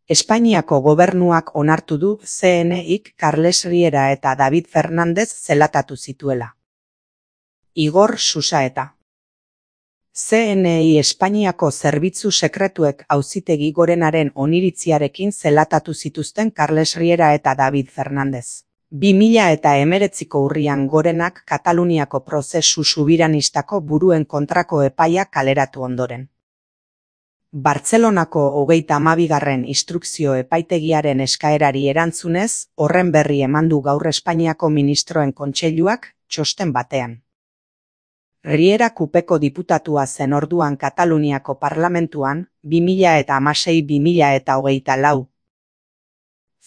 Espainiako gobernuak onartu du CNIk Carles Riera eta David Fernández zelatatu zituela. Igor Susaeta. CNI Espainiako zerbitzu sekretuek Auzitegi Gorenaren oniritziarekin zelatatu zituzten Carles Riera eta David Fernández. 2019ko urrian Gorenak Kataluniako prozesu subiranistako buruen kontrako epaia kaleratu ondoren. Bartzelonako 32. instrukzio epaitegiaren eskaerari erantzunez, horren berri eman du gaur Espainiako Ministroen Kontseiluak txosten batean. Riera Kupeko diputatua zen orduan Kataluniako parlamentuan, 2016-2024.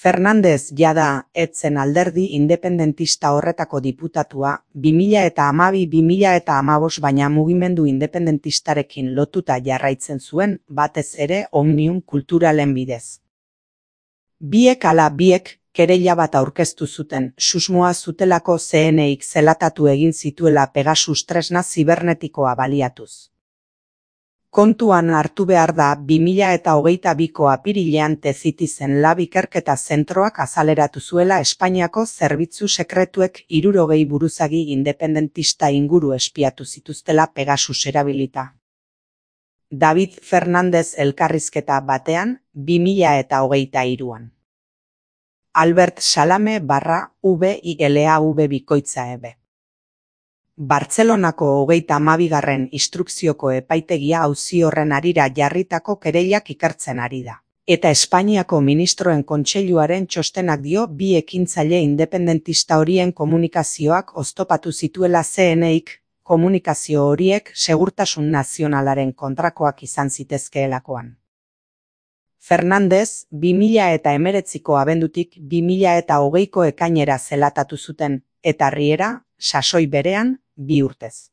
Fernández jada etzen alderdi independentista horretako diputatua, 2012-2015 baina mugimendu independentistarekin lotuta jarraitzen zuen, batez ere Omnium Kulturalen bidez. Biek ala biek kereila bat aurkeztu zuten, susmoa zutelako CNIk zelatatu egin zituela Pegasus tresna zibernetikoa baliatuz. Kontuan hartu behar da 2022ko apirilean Tezitizen Lab ikerketa zentroak azaleratu zuela Espainiako zerbitzu sekretuek 60 buruzagi independentista inguru espiatu zituztela Pegasus erabilita. David Fernández elkarrizketa batean, 2023an. Albert Salame /VILAV. Bartzelonako 32. instrukzioko epaitegia auzi horren harira jarritako kereilak ikertzen ari da. Eta Espainiako Ministroen Kontseiluaren txostenak dio bi ekintzaile independentista horien komunikazioak oztopatu zituela CNIk, komunikazio horiek segurtasun nazionalaren kontrakoak izan zitezkeelakoan. Fernández, 2019ko abendutik 2020ko ekainera zelatatu zuten, eta Riera, sasoi berean, 2 urtez.